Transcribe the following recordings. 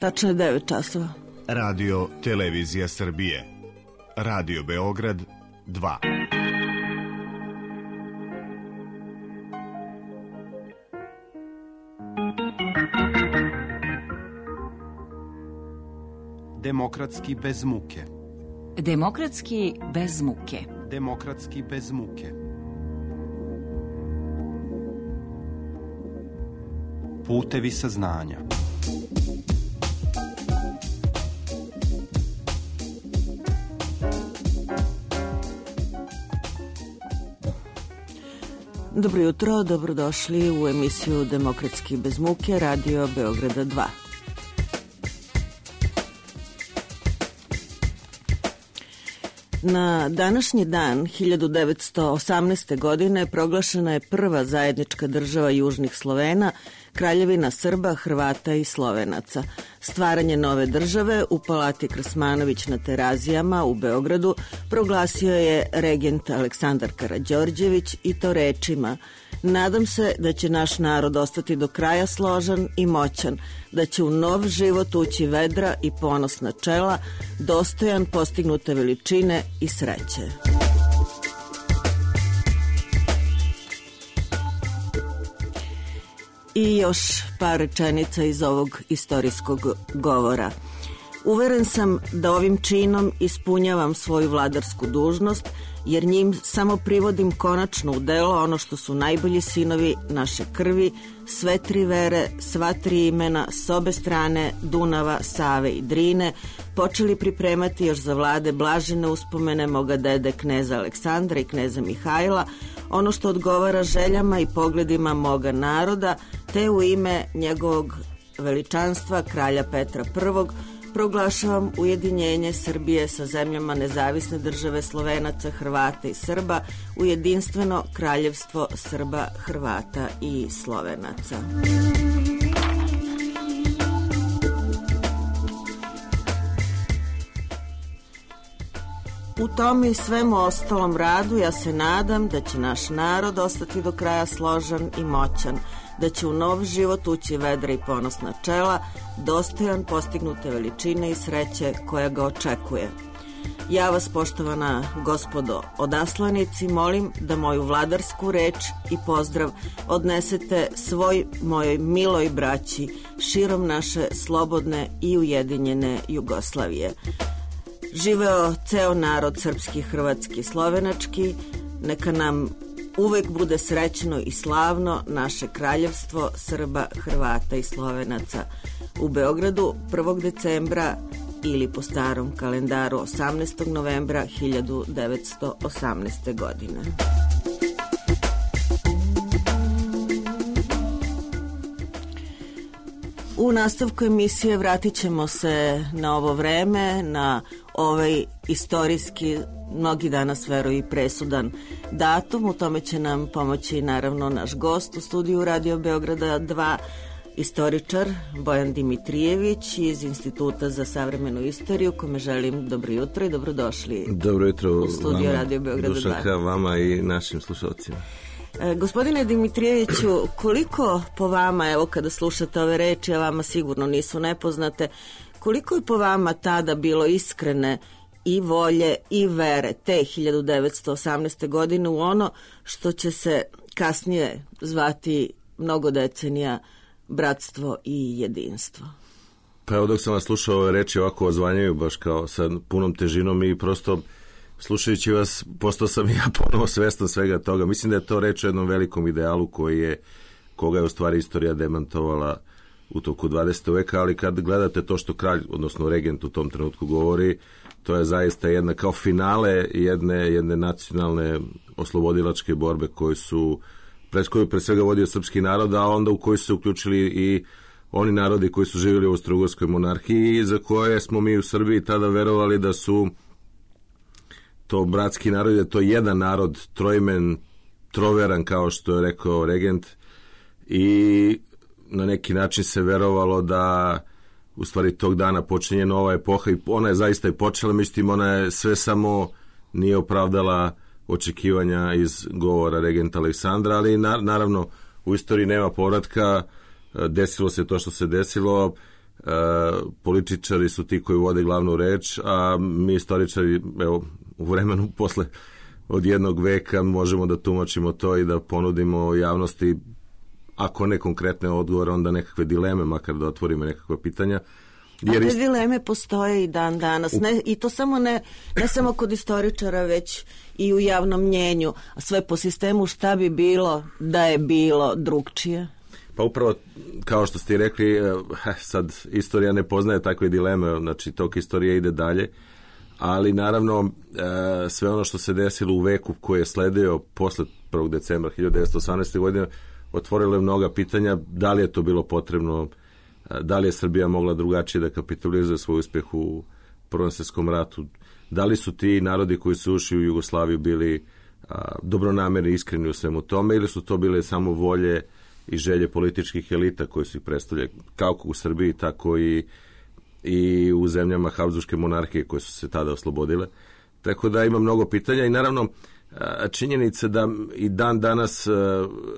Tačno je 9 časova. Radio Televizija Srbije. Radio Beograd 2. Demokratski bez muke. Demokratski bez muke. Demokratski bez muke. Putevi saznanja. Dobro jutro, dobrodošli u emisiju Demokratski bez muke, Radio Beograda 2. Na današnji dan 1918. godine proglašena je prva zajednička država južnih Slovena, Kraljevina Srba, Hrvata i Slovenaca. Stvaranje nove države u Palati Krsmanović na Terazijama u Beogradu proglasio je regent Aleksandar Karađorđević i to rečima: nadam se da će naš narod ostati do kraja složan i moćan, da će u nov život ući vedra i ponosna čela, dostojan postignute veličine i sreće. I još par rečenica iz ovog istorijskog govora. Uveren sam da ovim činom ispunjavam svoju vladarsku dužnost, jer njim samo privodim konačno u delo ono što su najbolji sinovi naše krvi, sve tri vere, sva tri imena, s obe strane Dunava, Save i Drine, počeli pripremati još za vlade blažene uspomene moga dede kneza Aleksandra i kneza Mihajla, ono što odgovara željama i pogledima moga naroda, te u ime njegovog veličanstva kralja Petra I proglašavam ujedinjenje Srbije sa zemljama nezavisne države Slovenaca, Hrvata i Srba u jedinstveno kraljevstvo Srba, Hrvata i Slovenaca. U tom i svemu ostalom radu ja se nadam da će naš narod ostati do kraja složan i moćan, da će u nov život ući vedra i ponosna čela, dostojan postignute veličine i sreće koja ga očekuje. Ja vas, poštovana gospodo odaslanici, molim da moju vladarsku reč i pozdrav odnesete svoj mojoj miloj braći širom naše slobodne i ujedinjene Jugoslavije. Živeo ceo narod srpski, hrvatski, slovenački, neka nam uvek bude srećno i slavno naše kraljevstvo Srba, Hrvata i Slovenaca. U Beogradu 1. decembra ili po starom kalendaru 18. novembra 1918. godine. U nastavku emisije vratit ćemo se na ovo vreme, na ovaj istorijski, mnogi danas veruju i presudan datum. U tome će nam pomoći naravno naš gost u studiju Radio Beograda 2, istoričar Bojan Dimitrijević iz Instituta za savremenu istoriju, kome želim dobro jutro i dobrodošli. Dobro jutro u studiju vama, Radio Beograda 2. Dušanka, vama i našim slušalcima. Gospodine Dimitrijeviću, koliko po vama, evo kada slušate ove reči, a vama sigurno nisu nepoznate, koliko je po vama tada bilo iskrene i volje i vere te 1918. godine u ono što će se kasnije zvati mnogo decenija bratstvo i jedinstvo? Pa evo, dok sam vas slušao, ove reči ovako ozvanjaju baš kao sa punom težinom i prosto slušajući vas postao sam ja ponovo svestan svega toga. Mislim da je to reč o jednom velikom idealu koga je u stvari istorija demantovala u toku 20. veka, ali kad gledate to što kralj, odnosno regent u tom trenutku govori, to je zaista jedna kao finale jedne nacionalne oslobodilačke borbe koju pre svega vodio srpski narod, a onda u koju su se uključili i oni narodi koji su živjeli u Austro-Ugarskoj monarhiji i za koje smo mi u Srbiji tada verovali da su to bratski narod, da je to jedan narod, troimen, troveran, kao što je rekao regent, i na neki način se verovalo da u stvari tog dana počinje nova epoha i ona je zaista i počela, međutim ona je sve samo nije opravdala očekivanja iz govora regenta Aleksandra, ali naravno u istoriji nema povratka, desilo se to što se desilo. političari su ti koji vode glavnu reč, a mi istoričari, evo, u vremenu posle od jednog veka možemo da tumačimo to i da ponudimo javnosti, ako ne konkretne odgovore, onda nekakve dileme, makar da otvorimo nekakva pitanja. Jer te dileme postoje i dan danas. I to samo ne samo kod istoričara, već i u javnom mnjenju. A sve po sistemu šta bi bilo da je bilo drugčije? Pa upravo, kao što ste rekli, sad istorija ne poznaje takve dileme, znači tok istorije ide dalje, ali naravno sve ono što se desilo u veku koji je sledio posle 1. decembra 1918. godine otvorilo je mnoga pitanja, da li je to bilo potrebno, da li je Srbija mogla drugačije da kapitalizuje svoj uspjeh u Prvom svjetskom ratu, da li su ti narodi koji su ušli u Jugoslaviju bili dobronamerni, iskreni u svemu tome, ili su to bile samo volje i želje političkih elita koji su ih predstavljali kako u Srbiji, tako i u zemljama Habsburške monarhije koje su se tada oslobodile. Tako da ima mnogo pitanja i naravno činjenica da i dan danas,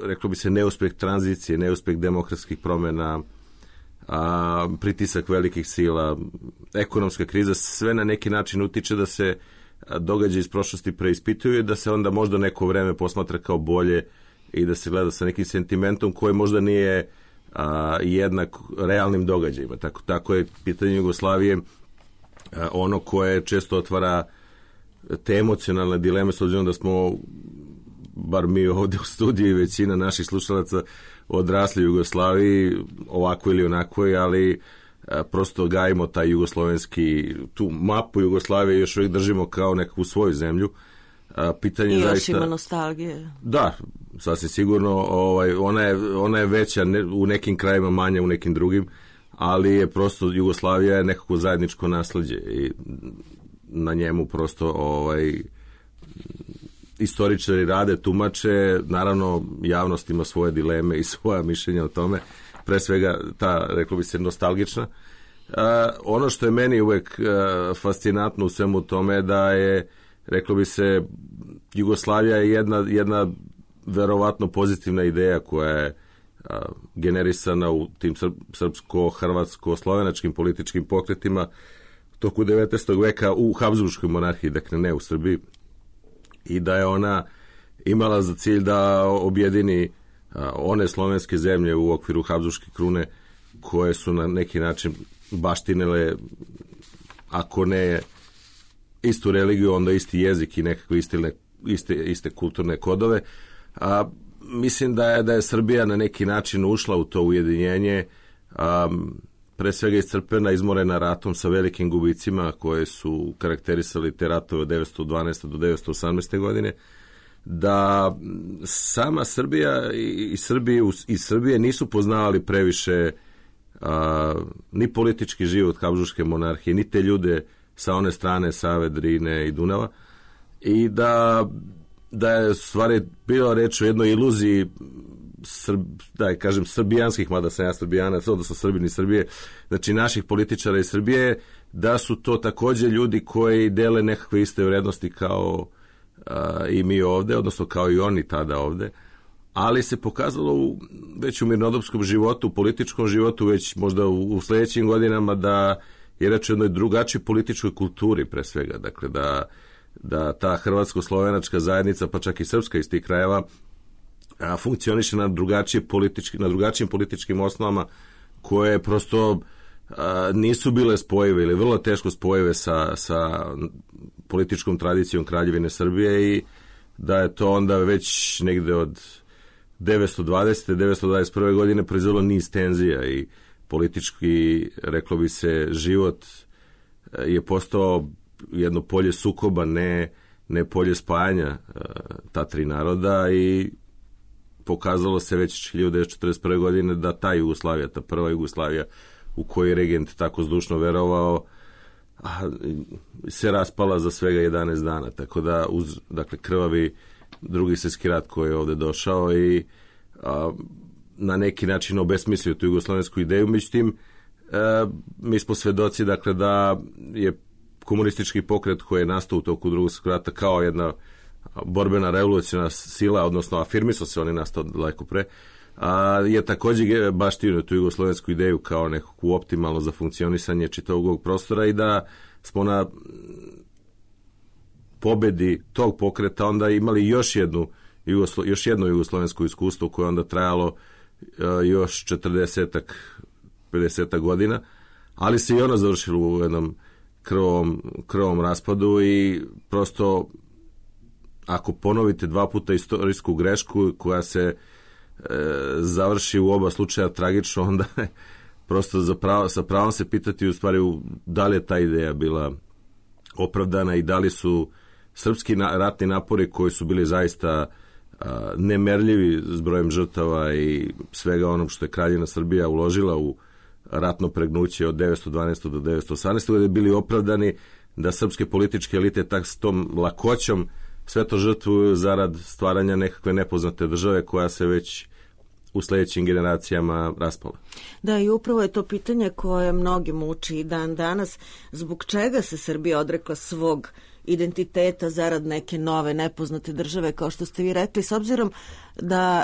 reklo bi se, neuspjeh tranzicije, neuspjeh demokratskih promjena, pritisak velikih sila, ekonomska kriza, sve na neki način utiče da se događaji iz prošlosti preispituju i da se onda možda neko vreme posmatra kao bolje i da se gleda sa nekim sentimentom koji možda nije jednak realnim događajima. Tako je pitanje Jugoslavije ono koje često otvara te emocionalne dileme, s obzirom da smo, bar mi ovdje u studiju i većina naših slušalaca, odrasli u Jugoslaviji, ovako ili onako, ali prosto gajimo taj jugoslovenski, tu mapu Jugoslavije još uvijek držimo kao nekakvu svoju zemlju. Pitanje i još zaista, ima nostalgije. Da, sasvim sigurno, ona je veća, u nekim krajima manja, u nekim drugim, ali je prosto Jugoslavija je nekako zajedničko nasleđe i na njemu prosto istoričari rade, tumače, naravno javnost ima svoje dileme i svoja mišljenja o tome, pre svega ta, reklo bi se, nostalgična. Ono što je meni uvek fascinantno u svemu tome da je, reklo bi se, Jugoslavija je jedna verovatno pozitivna ideja koja je generisana u tim srpsko-hrvatsko-slovenačkim političkim pokretima toku 19. veka u Habsburškoj monarhiji, dakle ne u Srbiji, i da je ona imala za cilj da objedini one slovenske zemlje u okviru Habsburške krune koje su na neki način baštinile, ako ne istu religiju, onda isti jezik i nekakve iste kulturne kodove. Mislim da je Srbija na neki način ušla u to ujedinjenje, pre svega iscrpljena, izmorena ratom sa velikim gubicima koje su karakterisali te ratove od 1912. do 1918. godine, da sama Srbija i Srbije nisu poznavali previše ni politički život Habsburške monarhije, ni te ljude sa one strane Save, Drine i Dunava, i da je stvari bilo reč o jednoj iluziji srbijanskih, mada sam ja srbijanac, odnosno Srbini Srbije, znači naših političara iz Srbije, da su to također ljudi koji dele nekakve iste vrednosti kao i mi ovde, odnosno kao i oni tada ovde, ali se pokazalo već u mirnodopskom životu, u političkom životu, već možda u sljedećim godinama, da je reč o jednoj drugačijoj političkoj kulturi pre svega, dakle da ta hrvatsko-slovenačka zajednica, pa čak i srpska iz tih krajeva, funkcioniše na drugačijim političkim osnovama koje prosto nisu bile spojive ili vrlo teško spojive sa političkom tradicijom Kraljevine Srbije, i da je to onda već negde od 920. 921. godine proizvelo niz tenzija i politički, reklo bi se, život je postao jedno polje sukoba, ne polje spajanja ta tri naroda, i pokazalo se već 1941. godine da ta Jugoslavija, ta prva Jugoslavija u kojoj je regent tako zdušno verovao, se raspala za svega 11 dana, tako da uz krvavi Drugi svjetski rat koji je ovde došao i na neki način obesmislio tu jugoslovensku ideju. Međutim, mi smo svedoci da je komunistički pokret koji je nastao u toku Drugog svjetskog rata kao jedna borbena revolucionarna sila, odnosno afirmisao se, on je nastao daleko pre, je također baštinio tu jugoslovensku ideju kao nekakvu optimalno za funkcionisanje čitavog ovog prostora i da smo na pobedi tog pokreta onda imali još jedno jugoslovensko iskustvo koje onda trajalo još 40-50 godina, ali se i ono završilo u jednom krvom raspadu i prosto ako ponovite 2 puta istorijsku grešku koja se završi u oba slučaja tragično, onda prosto sa pravom se pitati u stvari da li je ta ideja bila opravdana i da li su srpski ratni napori koji su bili zaista nemerljivi s brojem žrtava i svega onog što je Kraljevina Srbija uložila u ratno pregnuće od 912. do 918. godine bili opravdani da srpske političke elite s tom lakoćom sve to žrtvuju zarad stvaranja nekakve nepoznate države koja se već u sljedećim generacijama raspala. Da, i upravo je to pitanje koje mnogi muči i dan danas. Zbog čega se Srbija odrekla svog identiteta zarad neke nove nepoznate države, kao što ste vi rekli, s obzirom da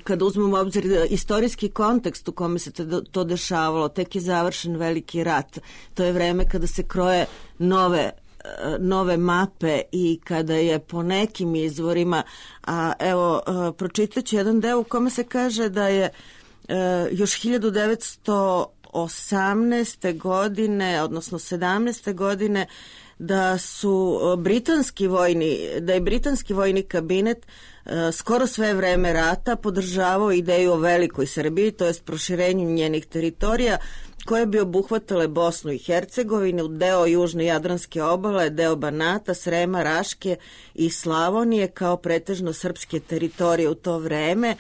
kada uzmemo u obzir istorijski kontekst u kome se to dešavalo, tek je završen veliki rat. To je vreme kada se kroje nove mape i kada je po nekim izvorima, a evo pročitat ću jedan deo u kome se kaže da je još 1918. godine, odnosno 17. godine, da je britanski vojni kabinet skoro sve vreme rata podržavao ideju o velikoj Srbiji, to jest proširenju njenih teritorija, koje bi obuhvatale Bosnu i Hercegovinu, deo južne Jadranske obale, deo Banata, Srema, Raške i Slavonije kao pretežno srpske teritorije u to vreme.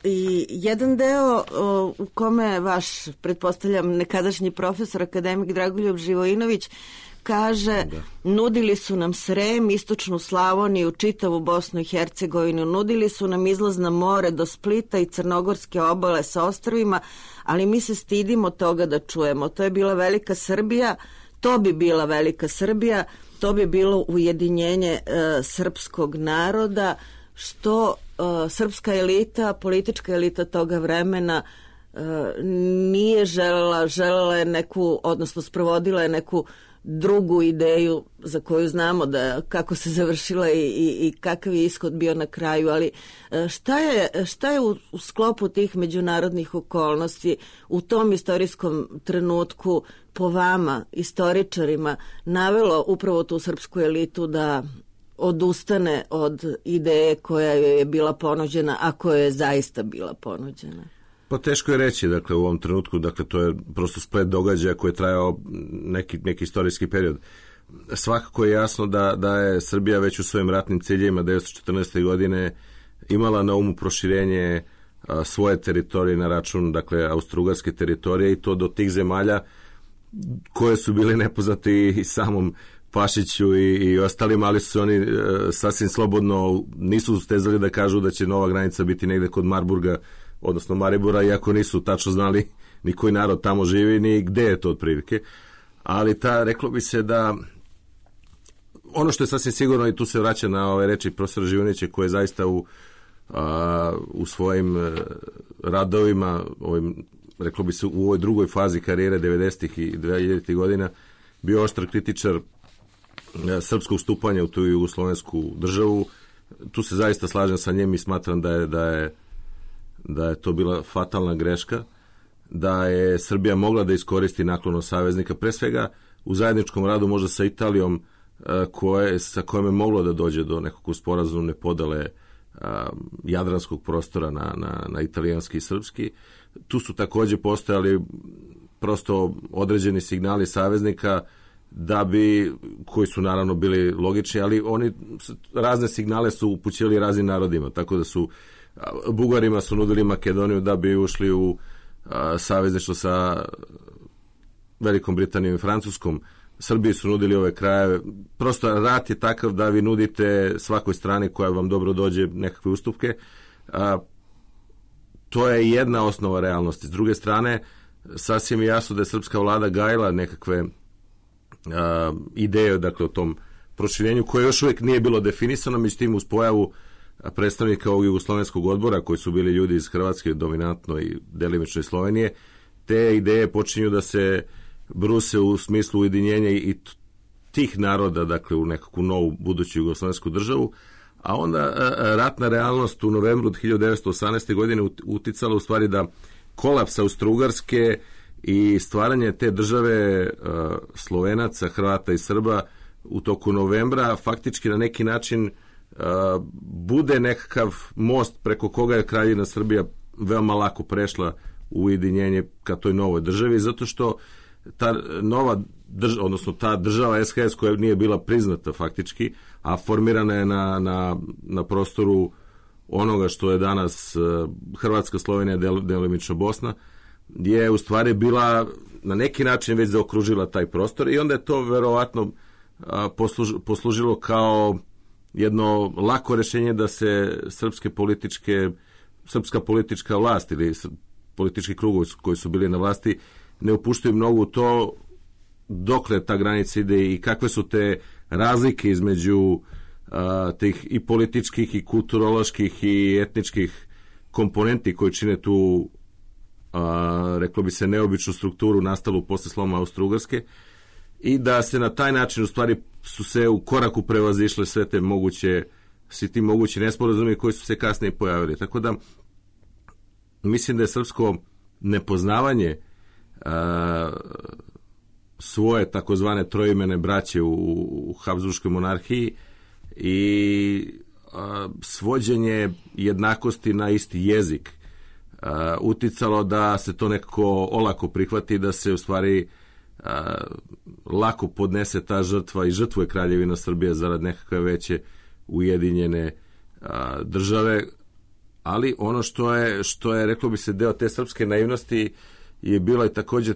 I jedan deo u kome vaš, pretpostavljam, nekadašnji profesor, akademik Dragoljub Živojinović, kaže, nudili su nam Srem, istočnu Slavoniju, čitavu Bosnu i Hercegovinu, nudili su nam izlaz na more do Splita i crnogorske obale sa ostrvima, ali mi se stidimo toga da čujemo. To je bila velika Srbija, to bi bila velika Srbija, to bi bilo ujedinjenje srpskog naroda, što srpska elita, politička elita toga vremena nije želela je neku, odnosno sprovodila je neku drugu ideju za koju znamo da kako se završila i kakav je ishod bio na kraju, ali šta je u sklopu tih međunarodnih okolnosti u tom istorijskom trenutku po vama, istoričarima, navelo upravo tu srpsku elitu da odustane od ideje koja je bila ponuđena, a koja je zaista bila ponuđena? Pa teško je reći, dakle, u ovom trenutku, dakle, to je prosto splet događaja koji je trajao neki istorijski period. Svakako je jasno da je Srbija već u svojim ratnim ciljevima 1914. godine imala na umu proširenje svoje teritorije na račun, dakle, austrougarske teritorije, i to do tih zemalja koje su bile nepoznate i samom Pašiću i ostalim, ali su oni sasvim slobodno, nisu stezali da kažu da će nova granica biti negde kod Marburga, odnosno Maribora, iako nisu tačno znali ni koji narod tamo živi, ni gde je to otprilike. Ali reklo bi se da ono što je sasvim sigurno, i tu se vraća na ove reči profesora Živojinovića, koji je zaista u svojim radovima, reklo bi se u ovoj drugoj fazi karijere 90. i 2000. godina, bio oštar kritičar srpskog stupanja u tu jugoslovensku državu. Tu se zaista slažem sa njim i smatram da je to bila fatalna greška, da je Srbija mogla da iskoristi naklonost saveznika, pre svega u zajedničkom radu možda sa Italijom, sa kojom je moglo da dođe do nekog sporazumne podele jadranskog prostora na italijanski i srpski. Tu su također postojali prosto određeni signali saveznika koji su naravno bili logični, ali oni razne signale su upućivali raznim narodima, tako da su Bugarima su nudili Makedoniju da bi ušli u savezništvo sa Velikom Britanijom i Francuskom. Srbiji su nudili ove krajeve. Prosto rat je takav da vi nudite svakoj strani koja vam dobro dođe nekakve ustupke. To je jedna osnova realnosti. S druge strane, sasvim je jasno da je srpska vlada gajila nekakve ideje, dakle, o tom proširenju koje još uvijek nije bilo definisano, međutim uz pojavu predstavnika ovog jugoslovenskog odbora, koji su bili ljudi iz Hrvatske, dominantno i delimično iz Slovenije, te ideje počinju da se bruse u smislu ujedinjenja i tih naroda, dakle u nekakvu novu buduću jugoslovensku državu, a onda ratna realnost u novembru 1918. godine uticala u stvari da kolaps Austro-Ugarske i stvaranje te države Slovenaca, Hrvata i Srba u toku novembra faktički na neki način bude nekakav most preko koga je Kraljevina Srbija veoma lako prešla u ujedinjenje ka toj novoj državi, zato što ta nova država, odnosno ta država SHS koja nije bila priznata faktički, a formirana je na prostoru onoga što je danas Hrvatska, Slovenija, delimično Bosna, je u stvari bila na neki način već zaokružila taj prostor i onda je to verovatno poslužilo kao jedno lako rješenje da se srpska politička vlast ili politički krugovi koji su bili na vlasti ne upuštaju mnogo u to dokle ta granica ide i kakve su te razlike između tih i političkih i kulturoloških i etničkih komponenti koji čine tu reklo bi se neobičnu strukturu nastalu posle sloma Austro-Ugarske i da se na taj način u stvari su se u koraku prevazišle svi ti mogući nesporazumi koji su se kasnije pojavili. Tako da mislim da je srpsko nepoznavanje svoje takozvane troimene braće u Habsburškoj monarhiji i svođenje jednakosti na isti jezik uticalo da se to nekako olako prihvati, da se u stvari lako podnese ta žrtva i žrtvuje Kraljevina Srbija zarad nekakve veće ujedinjene države, ali ono što je reklo bi se deo te srpske naivnosti je bila i također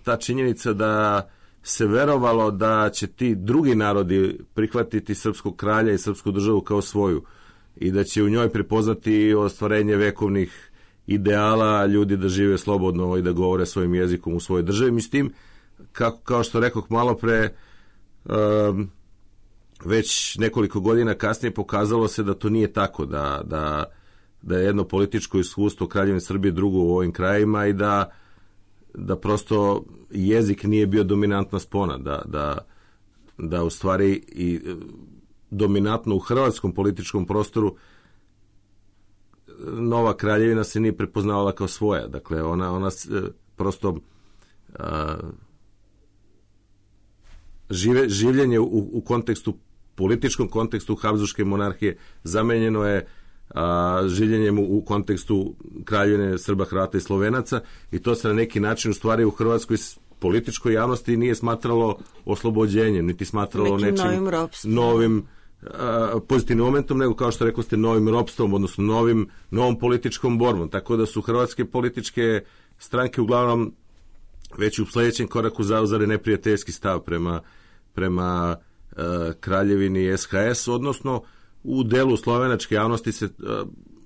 ta činjenica da se verovalo da će ti drugi narodi prihvatiti srpskog kralja i srpsku državu kao svoju i da će u njoj prepoznati ostvarenje vekovnih ideala, ljudi da žive slobodno i da govore svojim jezikom u svojoj državi. Mislim, kao što rekoh malo pre, već nekoliko godina kasnije pokazalo se da to nije tako, da je jedno političko iskustvo Kraljevine Srbije drugo u ovim krajima i da prosto jezik nije bio dominantna spona, da u stvari i dominantno u hrvatskom političkom prostoru nova kraljevina se nije prepoznavala kao svoja. Dakle, ona prosto življenje u političkom kontekstu Habsburške monarhije zamenjeno je življenjem u kontekstu Kraljevine Srba, Hrvata i Slovenaca i to se na neki način u stvari u hrvatskoj političkoj javnosti nije smatralo oslobođenjem, niti smatralo nečim novim pozitivnim momentom, nego kao što rekao ste novim ropstvom, odnosno novom političkom borbom. Tako da su hrvatske političke stranke uglavnom već u sljedećem koraku zauzeli neprijateljski stav prema kraljevini SHS, odnosno u delu slovenačke javnosti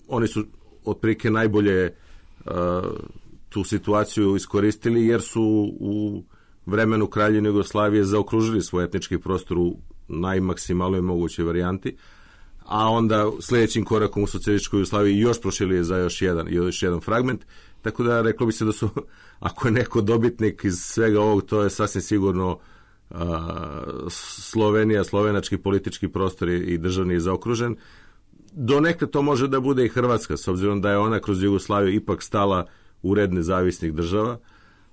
oni su otprilike najbolje tu situaciju iskoristili jer su u vremenu Kraljevine Jugoslavije zaokružili svoj etnički prostor u najmaksimalnoj mogućoj varijanti, a onda sljedećim korakom u socijalističkoj Jugoslaviji još prošili za još jedan fragment, tako da reklo bi se da su, ako je neko dobitnik iz svega ovog, to je sasvim sigurno Slovenija, slovenački politički prostor i državni je zaokružen. Donekle to može da bude i Hrvatska, s obzirom da je ona kroz Jugoslaviju ipak stala u red nezavisnih država,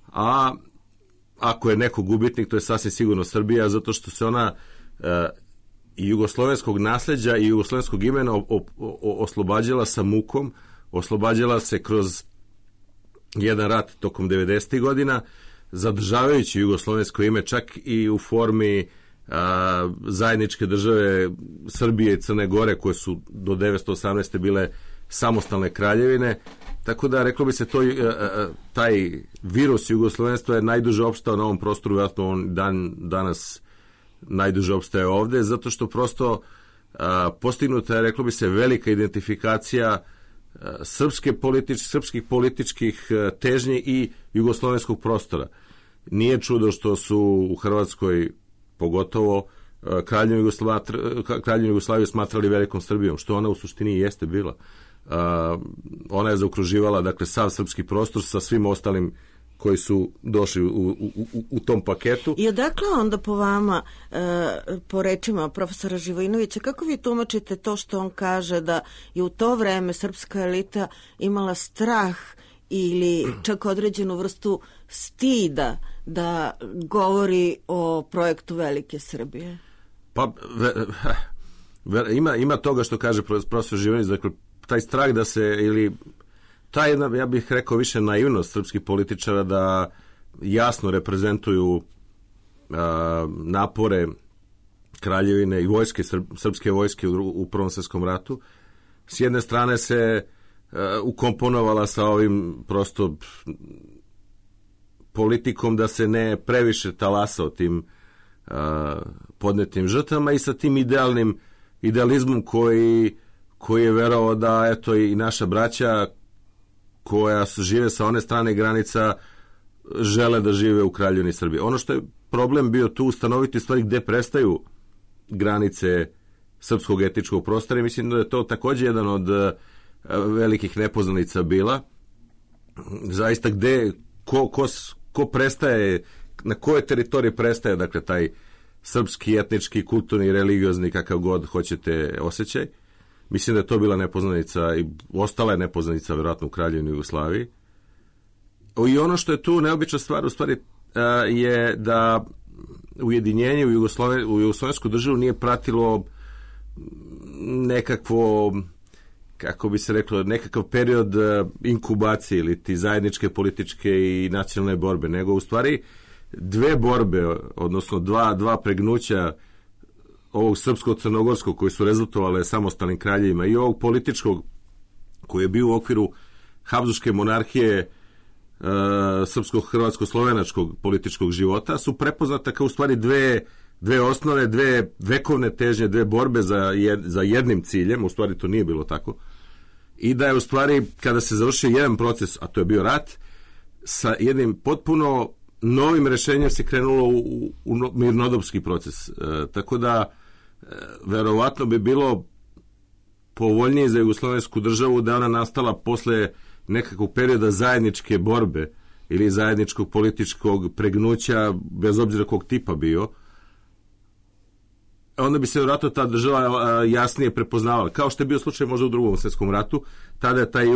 a ako je neko gubitnik, to je sasvim sigurno Srbija, zato što se ona i jugoslovenskog nasljeđa i jugoslovenskog imena oslobađala sa mukom, oslobađala se kroz jedan rat tokom 90. godina, zadržavajući jugoslovensko ime čak i u formi zajedničke države Srbije i Crne Gore, koje su do 1918. bile samostalne kraljevine. Tako da, reklo bi se, taj virus jugoslovenstva je najduže opstao na ovom prostoru, vjerojatno on danas najduže opstaje ovde, zato što prosto postignuta je, reklo bi se, velika identifikacija srpskih političkih težnji i jugoslovenskog prostora. Nije čudo što su u Hrvatskoj pogotovo Kraljevinu Jugoslaviju smatrali velikom Srbijom, što ona u suštini jeste bila. Ona je zaokruživala, dakle, sav srpski prostor sa svim ostalim koji su došli u tom paketu. I odakle onda po vama, po rečima profesora Živojinovića, kako vi tumačite to što on kaže da je u to vreme srpska elita imala strah ili čak određenu vrstu stida da govori o projektu Velike Srbije? Pa, ima toga što kaže profesor Živojinović, dakle, taj strah da se, ili ta jedna, ja bih rekao, više naivnost srpskih političara da jasno reprezentuju napore kraljevine i vojske, srpske vojske u Prvom svjetskom ratu. S jedne strane se ukomponovala sa ovim prosto politikom da se ne previše talasa o tim podnetim žrtvama i sa tim idealizmom koji je verovao da eto i naša braća koja žive sa one strane granica žele da žive u Kraljevini Srbije. Ono što je problem bio tu ustanoviti stvari gde prestaju granice srpskog etničkog prostora i mislim da je to također jedan od velikih nepoznanica bila. Zaista gde, ko prestaje, na kojoj teritoriji prestaje, dakle, taj srpski, etnički, kulturni, religiozni, kakav god hoćete osjećaj. Mislim da je to bila nepoznanica i ostala je nepoznanica vjerojatno u Kraljevini Jugoslaviji. I ono što je tu neobična stvar u stvari je da ujedinjenje u jugoslovensku državu nije pratilo nekakvo, kako bi se reklo, nekakav period inkubacije ili ti zajedničke političke i nacionalne borbe, nego u stvari dve borbe, odnosno dva pregnuća ovog srpsko-crnogorskog koji su rezultovale samostalnim kraljevima i ovog političkog koji je bio u okviru Habsburške monarhije srpsko-hrvatsko-slovenačkog političkog života su prepoznata kao u stvari dve osnove, dve vekovne težnje, dve borbe za jednim ciljem, u stvari to nije bilo tako, i da je u stvari kada se završio jedan proces, a to je bio rat, sa jednim potpuno novim rešenjem se krenulo u mirnodopski proces. Tako da verovatno bi bilo povoljnije za jugoslovensku državu da ona nastala posle nekakvog perioda zajedničke borbe ili zajedničkog političkog pregnuća, bez obzira kog tipa bio, onda bi se vjerojatno ta država jasnije prepoznavala. Kao što je bio slučaj možda u Drugom svjetskom ratu, tada je taj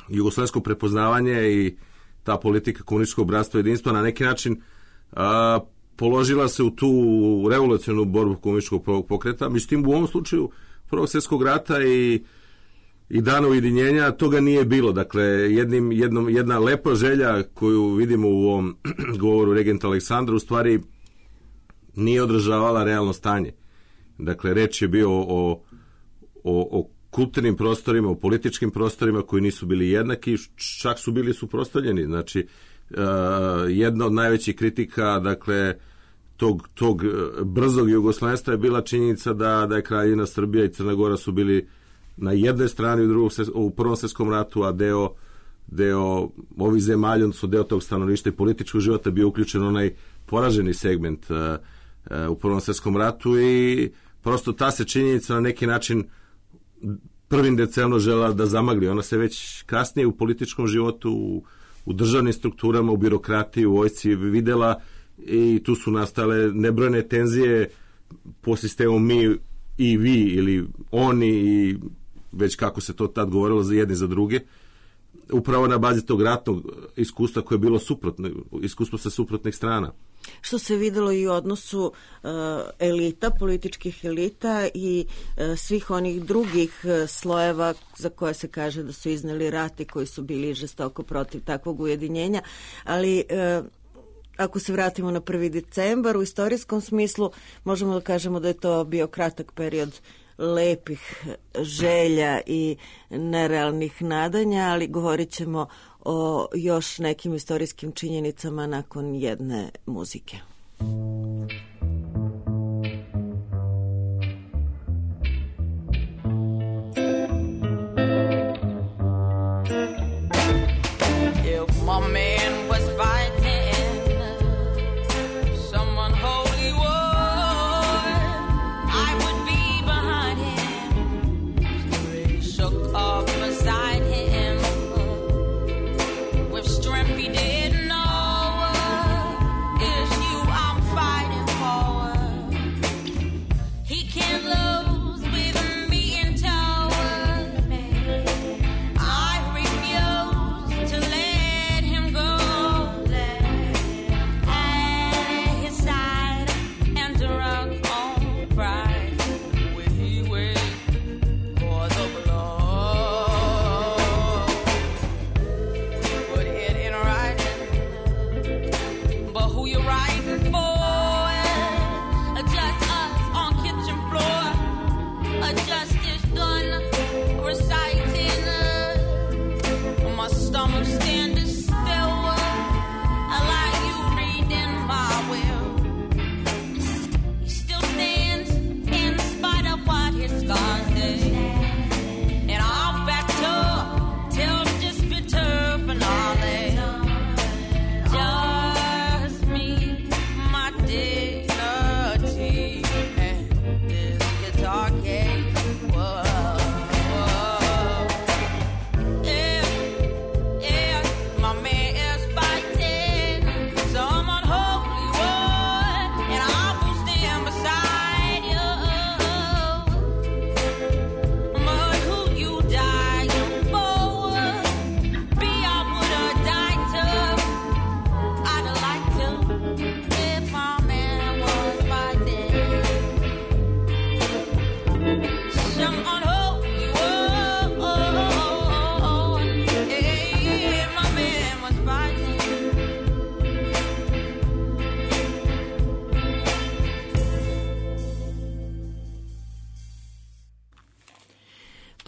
jugoslovensko prepoznavanje i ta politika komunističkog bratstva i jedinstva na neki način položila se u tu revolucionarnu borbu komunističkog pokreta. Međutim, u ovom slučaju Prvog svjetskog rata i dana ujedinjenja toga nije bilo. Dakle, jedna lepa želja koju vidimo u ovom govoru regenta Aleksandra u stvari nije odražavala realno stanje. Dakle, reč je bio o kulturnim prostorima, o političkim prostorima koji nisu bili jednaki, čak su bili suprotstavljeni. Znači, jedna od najvećih kritika, dakle, tog brzog jugoslovenstva je bila činjenica da je Kraljevina Srbija i Crna Gora su bili na jednoj strani u Prvom svjetskom ratu, a deo ovih zemalja, odnosno deo tog stanovništva i političkog života bio uključen onaj poraženi segment u Prvom svjetskom ratu i prosto ta se činjenica na neki način prvim decemno žela da zamagli. Ona se već kasnije u političkom životu, u državnim strukturama, u birokratiji, u vojsci videla i tu su nastale nebrojne tenzije po sistemu mi i vi ili oni i već kako se to tad govorilo za jedni za druge, upravo na bazi tog ratnog iskustva koje je bilo suprotno, iskustvo sa suprotnih strana. Što se videlo i u odnosu elita, političkih elita i svih onih drugih slojeva za koje se kaže da su izneli rat i koji su bili žestoko protiv takvog ujedinjenja, ali ako se vratimo na 1. decembar, u istorijskom smislu možemo da kažemo da je to bio kratak period lepih želja i nerealnih nadanja, ali govorit ćemo o još nekim istorijskim činjenicama nakon jedne muzike. If my man was fighting someone holy war,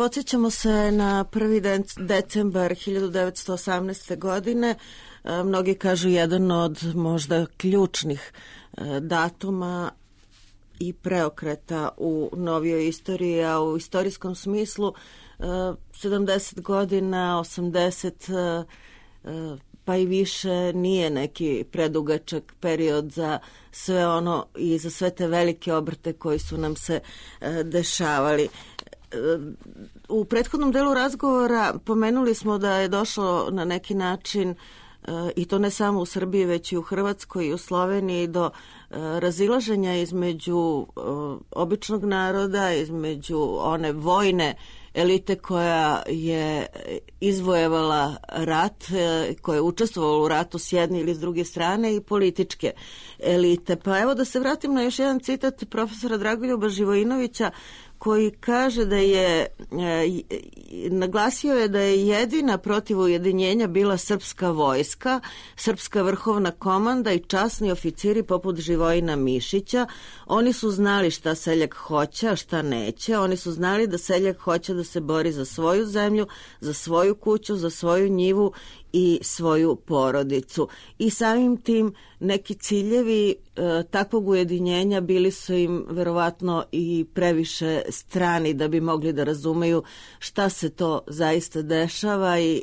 podsjećamo se na 1. decembar 1918. godine. Mnogi kažu jedan od možda ključnih datuma i preokreta u novijoj istoriji, a u istorijskom smislu 70 godina, 80 pa i više nije neki predugačak period za sve ono i za sve te velike obrte koji su nam se dešavali. U prethodnom delu razgovora pomenuli smo da je došlo na neki način, i to ne samo u Srbiji, već i u Hrvatskoj i u Sloveniji, do razilaženja između običnog naroda, između one vojne elite koja je izvojevala rat, koja je učestvovala u ratu s jedne ili s druge strane, i političke elite. Pa evo da se vratim na još jedan citat profesora Dragoljuba Živojinovića, koji kaže da je, naglasio je da je jedina protiv ujedinjenja bila srpska vojska, srpska vrhovna komanda i časni oficiri poput Živojina Mišića. Oni su znali šta seljak hoće, a šta neće. Oni su znali da seljak hoće da se bori za svoju zemlju, za svoju kuću, za svoju njivu i svoju porodicu. I samim tim neki ciljevi takvog ujedinjenja bili su im verovatno i previše strani da bi mogli da razumeju šta se to zaista dešava i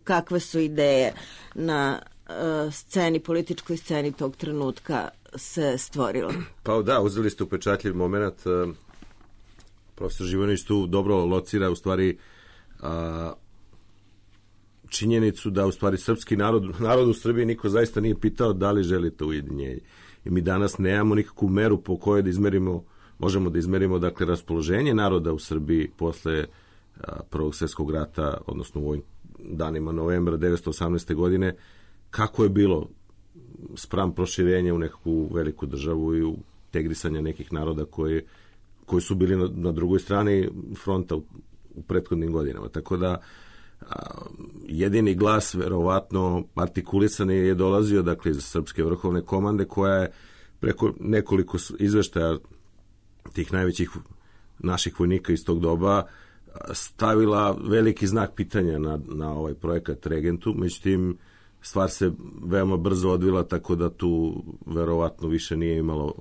kakve su ideje na sceni, političkoj sceni tog trenutka se stvorilo. Pa da, uzeli ste upečatljiv moment. Profesor Živojinović tu dobro locira u stvari činjenicu da u stvari srpski narod u Srbiji niko zaista nije pitao da li želi to ujedinjenje. I mi danas nemamo nikakvu meru po kojoj možemo da izmerimo dakle raspoloženje naroda u Srbiji posle Prvog svjetskog rata, odnosno u ovim danima novembra 1918. godine, kako je bilo spram proširenja u nekakvu veliku državu i u integrisanja nekih naroda koji su bili na drugoj strani fronta u prethodnim godinama. Tako da jedini glas verovatno artikulisan je dolazio dakle iz Srpske vrhovne komande, koja je preko nekoliko izveštaja tih najvećih naših vojnika iz tog doba stavila veliki znak pitanja na ovaj projekat Regentu. Međutim, stvar se veoma brzo odvila, tako da tu verovatno više nije imalo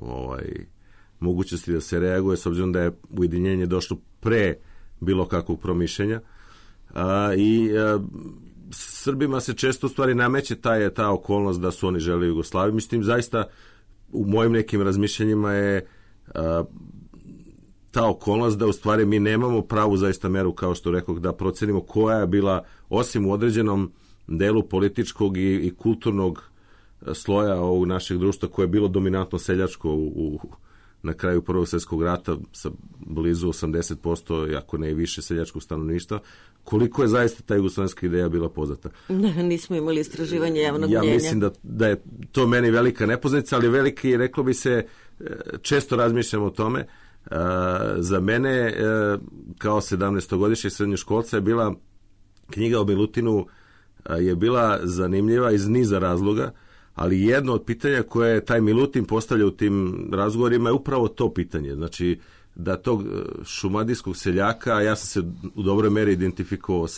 mogućnosti da se reaguje, s obzirom da je ujedinjenje došlo pre bilo kakvog promišljenja. Srbima se često u stvari nameće ta okolnost da su oni žele Jugoslaviju. Mislim, zaista u mojim nekim razmišljanjima je ta okolnost da u stvari mi nemamo pravu zaista meru, kao što rekao, da procenimo koja je bila, osim u određenom delu političkog i kulturnog sloja ovog našeg društva, koje je bilo dominantno seljačko na kraju Prvog svjetskog rata sa blizu 80%, ako ne i više, seljačkog stanovništva, koliko je zaista ta jugoslovenska ideja bila poznata. Nismo imali istraživanje javnog mnjenja. Ja mislim da je to meni velika nepoznanica, ali veliki, reklo bi se, često razmišljam o tome. Za mene, kao 17-godišnjeg srednjoškolca, je bila knjiga o Milutinu je bila zanimljiva iz niza razloga, ali jedno od pitanja koje je taj Milutin postavlja u tim razgovorima je upravo to pitanje. Znači, da tog šumadijskog seljaka, ja sam se u dobroj meri identifikovao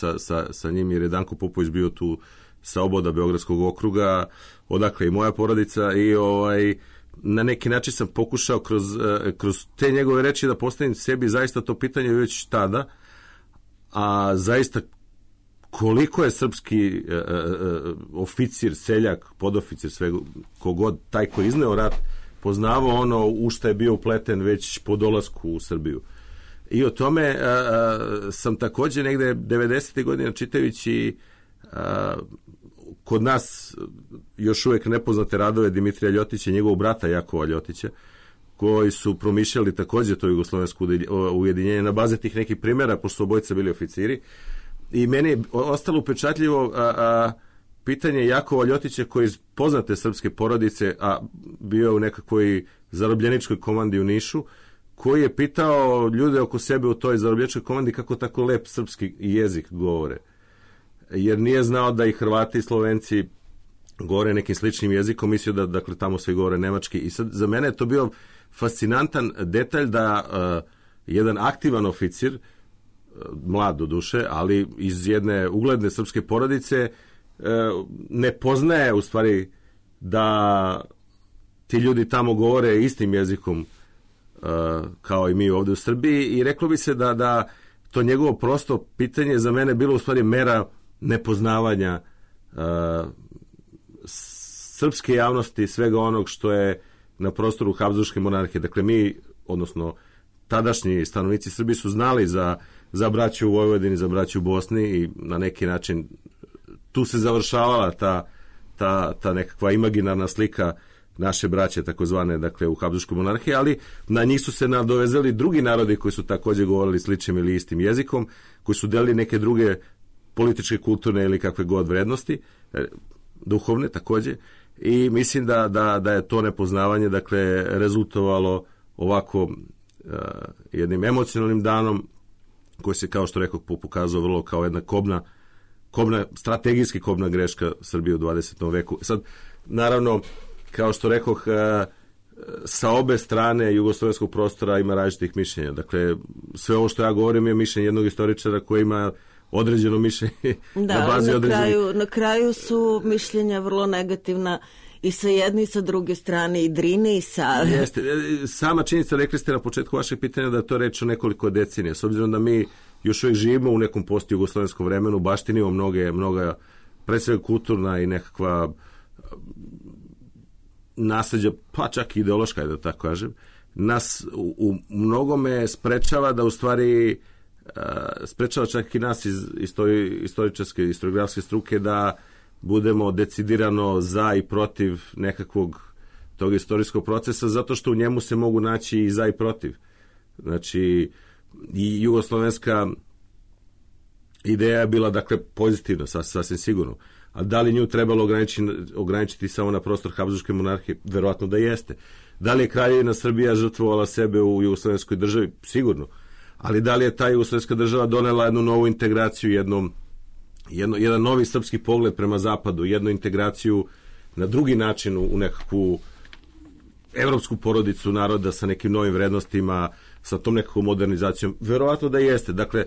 sa njim, jer je Danko Popović bio tu sa oboda Beogradskog okruga, odakle i moja porodica, i na neki način sam pokušao kroz te njegove reči da postavim sebi zaista to pitanje već tada, a zaista koliko je srpski oficir, seljak, podoficir, sve kogod, taj koji izneo rat, poznavao ono u šta je bio upleten već po dolasku u Srbiju. I o tome sam također negde 90. godina čitajući kod nas još uvijek nepoznate radove Dimitrija Ljotića i njegovog brata Jakova Ljotića, koji su promišljali također to jugoslovensko ujedinjenje na baze tih nekih primjera, pošto su obojica bili oficiri. I meni je ostalo upečatljivo pitanje Jakova Ljotića, koji iz poznate srpske porodice, a bio je u nekakvoj zarobljeničkoj komandi u Nišu, koji je pitao ljude oko sebe u toj zarobljeničkoj komandi kako tako lep srpski jezik govore. Jer nije znao da i Hrvati i Slovenci govore nekim sličnim jezikom, mislio da dakle tamo svi govore nemački. I sad za mene je to bio fascinantan detalj da jedan aktivan oficir mlad do duše, ali iz jedne ugledne srpske porodice, ne poznaje u stvari da ti ljudi tamo govore istim jezikom kao i mi ovdje u Srbiji, i reklo bi se da to njegovo prosto pitanje za mene bilo u stvari mera nepoznavanja srpske javnosti, svega onog što je na prostoru Habsburške monarhije. Dakle, mi, odnosno tadašnji stanovnici Srbije, su znali za braću u Vojvodini, za braću u Bosni, i na neki način tu se završavala ta nekakva imaginarna slika naše braće, takozvane, dakle, u Habsburškoj monarhiji, ali na njih su se nadovezali drugi narodi koji su također govorili sličnim ili istim jezikom, koji su delili neke druge političke, kulturne ili kakve god vrednosti, duhovne također, i mislim da je to nepoznavanje, dakle, rezultovalo ovako jednim emocionalnim danom koji se, kao što rekao, pokazao vrlo kao jedna strategijski kobna greška Srbije u 20. veku. Sad, naravno, kao što rekoh, sa obe strane jugoslovenskog prostora ima različitih mišljenja. Dakle, sve ovo što ja govorim je mišljenje jednog istoričara koji ima određeno mišljenje na bazi određenih. Na kraju su mišljenja vrlo negativna i sa jedne i sa druge strane, i Drine i Save. Jeste. Sama činjenica, rekli ste na početku vašeg pitanja, da je to reč o nekoliko decenija. S obzirom da mi još uvijek živimo u nekom post-jugoslovenskom vremenu, baštinimo mnoga, pre svega kulturna i nekakva nasleđa, pa čak i ideološka, da tako kažem, nas u mnogome sprečava da u stvari sprečava čak i nas iz istoričarske, historiografske struke da budemo decidirano za i protiv nekakvog tog istorijskog procesa, zato što u njemu se mogu naći i za i protiv. Znači, i jugoslovenska ideja je bila, dakle, pozitivna, sasvim sigurno. A da li nju trebalo ograničiti samo na prostor Habsburške monarhije? Verovatno da jeste. Da li je Kraljevina Srbija žrtvovala sebe u jugoslovenskoj državi? Sigurno. Ali da li je ta jugoslovenska država donela jednu novu integraciju, jedan novi srpski pogled prema zapadu, jednu integraciju na drugi način u nekakvu evropsku porodicu naroda sa nekim novim vrednostima, sa tom nekakvom modernizacijom? Verovatno da jeste. Dakle,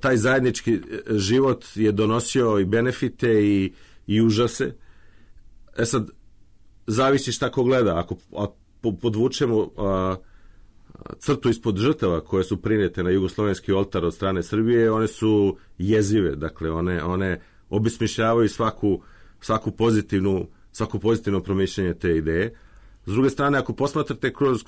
taj zajednički život je donosio i benefite i užase. Sad, zavisi šta ko gleda. Ako podvučemo crtu ispod žrtava koje su prinete na jugoslovenski oltar od strane Srbije, one su jezive. Dakle, one obesmišljavaju svako pozitivno promišljanje te ideje. S druge strane, ako posmatrate kroz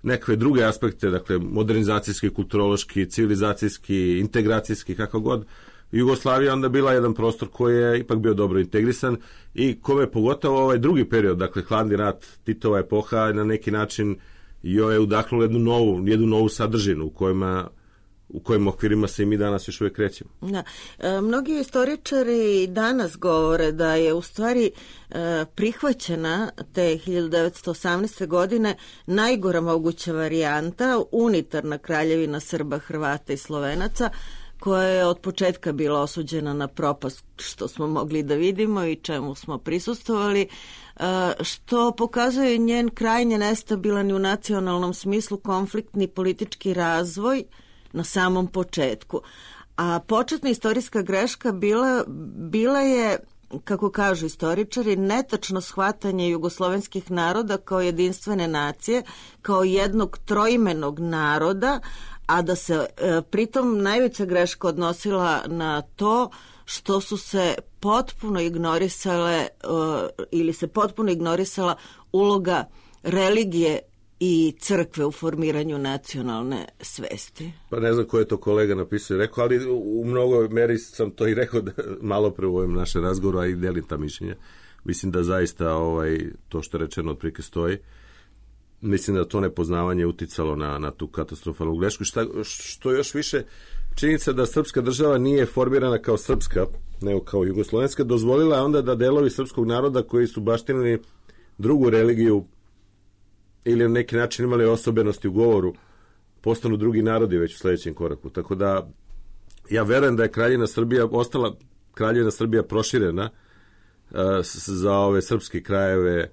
nekakve druge aspekte, dakle, modernizacijski, kulturološki, civilizacijski, integracijski, kako god, Jugoslavija onda bila jedan prostor koji je ipak bio dobro integrisan i kome je pogotovo ovaj drugi period, dakle, hladni rat, Titova epoha, na neki način joj je udahnula jednu novu sadržinu u kojim okvirima se i mi danas još uvijek krećemo. Da. Mnogi istoričari danas govore da je u stvari prihvaćena te 1918. godine najgora moguća varijanta, unitarna kraljevina Srba, Hrvata i Slovenaca, koja je od početka bila osuđena na propast, što smo mogli da vidimo i čemu smo prisustvovali, što pokazuje njen krajnje nestabilan i u nacionalnom smislu konfliktni politički razvoj na samom početku. A početna istorijska greška bila je, kako kažu istoričari, netačno shvatanje jugoslovenskih naroda kao jedinstvene nacije, kao jednog troimenog naroda, a da se pritom najveća greška odnosila na to što su se potpuno ignorisale ili se potpuno ignorisala uloga religije i crkve u formiranju nacionalne svesti. Pa ne znam ko je to kolega napisao i rekao, ali u mnogoj meri sam to i rekao malo pre u ovom našem razgovoru, a i delim ta mišljenja. Mislim da zaista to što je rečeno otprilike stoji. Mislim da to nepoznavanje uticalo na tu katastrofalnu grešku. Što još više, činjenica da srpska država nije formirana kao srpska, nego kao jugoslovenska, dozvolila je onda da delovi srpskog naroda koji su baštinili drugu religiju ili na neki način imali osobenosti u govoru, postanu drugi narodi već u sljedećem koraku. Tako da ja verujem da je ostala Kraljevina Srbija proširena za ove srpske krajeve,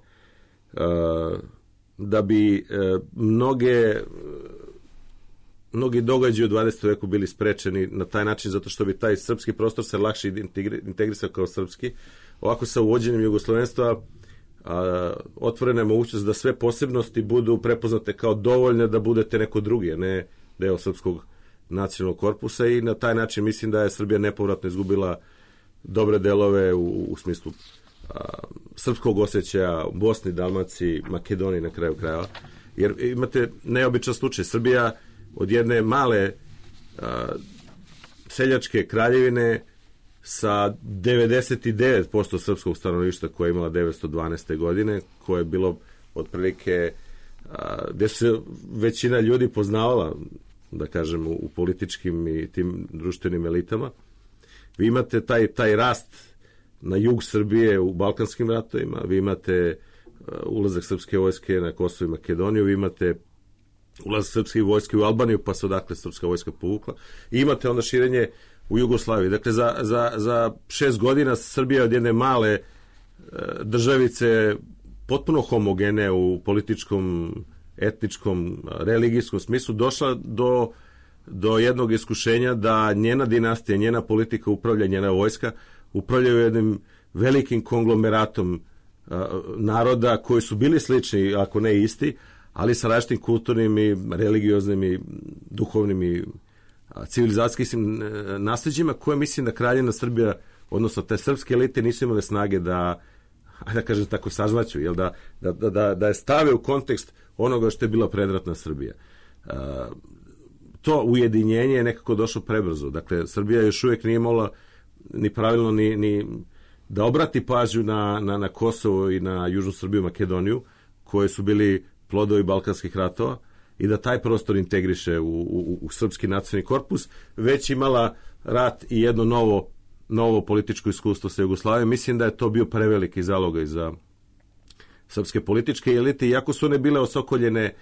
mnogi događaji u 20. veku bili sprečeni na taj način zato što bi taj srpski prostor se lakše integrisao kao srpski. Ovako sa uvođenjem jugoslovenstva otvorena je mogućnost da sve posebnosti budu prepoznate kao dovoljne da budete neko drugi, a ne deo srpskog nacionalnog korpusa, i na taj način mislim da je Srbija nepovratno izgubila dobre delove u smislu srpskog osjećaja u Bosni, Dalmaciji, Makedoniji na kraju krajeva. Jer imate neobičan slučaj. Srbija od jedne male seljačke kraljevine sa 99% srpskog stanovništva koje je imala 912. godine, koje je bilo otprilike gde se većina ljudi poznavala, da kažem, u političkim i tim društvenim elitama. Vi imate taj rast na jug Srbije u Balkanskim ratovima, vi imate ulazak srpske vojske na Kosovo i Makedoniju, vi imate ulazak srpske vojske u Albaniju, pa se odakle srpska vojska povukla, i imate onda širenje u Jugoslaviji. Dakle, za 6 godina Srbija od jedne male državice potpuno homogene u političkom, etničkom, religijskom smislu došla do jednog iskušenja da njena dinastija, njena politika upravlja, njena vojska upravljaju jednim velikim konglomeratom naroda koji su bili slični, ako ne isti, ali sa različitim kulturnim i religioznim i duhovnim i civilizacijskim nasljeđima, koje mislim da Kraljevina Srbija, odnosno te srpske elite, nisu imale snage da kažem tako, sažvaću, jel, da je stave u kontekst onoga što je bila predratna Srbija. To ujedinjenje je nekako došlo prebrzo. Dakle, Srbija još uvijek nije mogla ni pravilno ni da obrati pažnju na Kosovo i na Južnu Srbiju, Makedoniju, koje su bili plodovi balkanskih ratova, i da taj prostor integriše u srpski nacionalni korpus, već imala rat i jedno novo političko iskustvo sa Jugoslavijom. Mislim da je to bio preveliki zalogaj za srpske političke elite, iako su one bile osokoljene